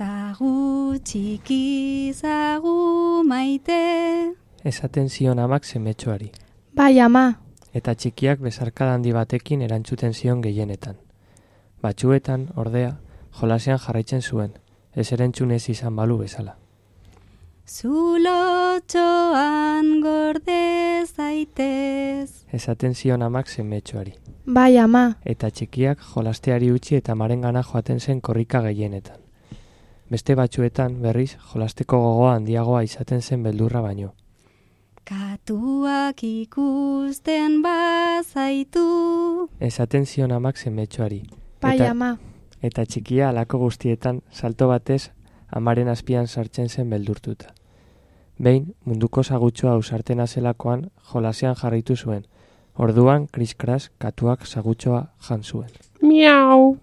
Zagu txiki, zagu maite. Esaten zion amak semetxoari. Bai, ama. Eta txikiak besarkada handi batekin erantzuten zion gehienetan. Batzuetan, ordea, jolasean jarraitzen zuen, ez erantzun ez izan balu bezala. Zulotxoan gorde zaitez. Esaten zion amak semetxoari. Bai, ama. Eta txikiak jolasteari utzi eta amarengana joaten zen korrika gehienetan. Beste batzuetan, berriz, jolasteko gogoa handiagoa izaten zen beldurra baino. Katuak ikusten bazaitu. Esaten zion amak semetxoari. Bai, ama. Eta txikia halako guztietan salto batez amaren azpian sartzen zen beldurtuta. Behin, munduko sagutxoa ausartena zelakoan jolasean jarraitu zuen. Orduan, kriskras, katuak sagutxoa jan zuen. Miau.